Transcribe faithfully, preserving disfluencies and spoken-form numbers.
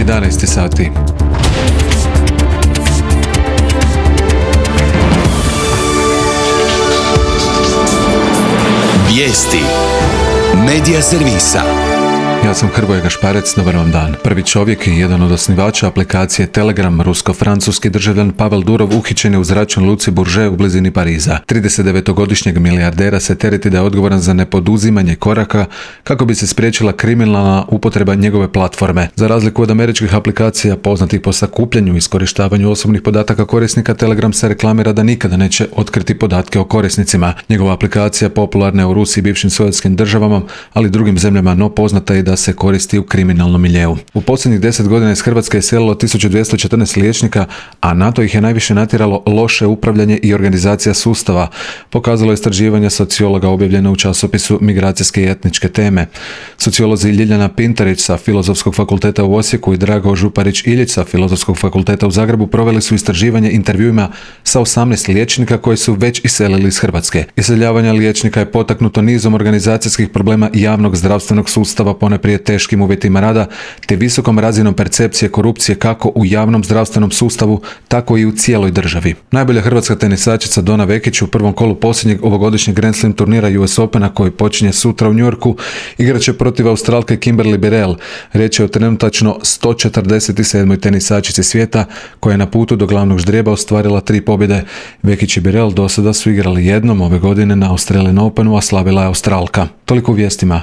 jedanaest sati. Vijesti Medija servisa. Ja sam Hrvoje Gašparec, dobar vam dan. Prvi čovjek i jedan od osnivača aplikacije Telegram, rusko-francuski državljan Pavel Durov, uhićen je u zračnoj luci Bourget u blizini Pariza. tridesetdevetogodišnjeg milijardera se tereti da je odgovoran za nepoduzimanje koraka kako bi se spriječila kriminalna upotreba njegove platforme. Za razliku od američkih aplikacija poznatih po sakupljanju i iskorištavanju osobnih podataka korisnika, Telegram se reklamira da nikada neće otkriti podatke o korisnicima. Njegova aplikacija popularna je u Rusiji i bivšim sovjetskim državama, ali i drugim zemljama, no poznata je da se koristi u kriminalnom miljeu. U posljednjih deset godina iz Hrvatske je iselilo tisuću dvjesto četrnaest liječnika, a na to ih je najviše natjeralo loše upravljanje i organizacija sustava, pokazalo je istraživanje sociologa objavljeno u časopisu Migracijske i etničke teme. Sociolozi Ljiljana Pintarić sa Filozofskog fakulteta u Osijeku i Drago Župarić-Iljić sa Filozofskog fakulteta u Zagrebu proveli su istraživanje intervjuima sa osamnaest liječnika koji su već iselili iz Hrvatske. Iseljavanje liječnika je potaknuto nizom organizacijskih problema javnog zdravstvenog sustava, ponajprije teškim uvjetima rada, te visokom razinom percepcije korupcije kako u javnom zdravstvenom sustavu, tako i u cijeloj državi. Najbolja hrvatska tenisačica Dona Vekić u prvom kolu posljednjeg ovogodišnjeg Grand Slam turnira U S Opena koji počinje sutra u New Yorku igraće protiv Australke Kimberly Birrell. Riječ je o trenutačno sto četrdeset sedmoj tenisačici svijeta koja je na putu do glavnog ždrijeba ostvarila tri pobjede. Vekić i Birrell do sada su igrali jednom ove godine na Australian Openu, a slavila je Australka. Toliko u vijestima.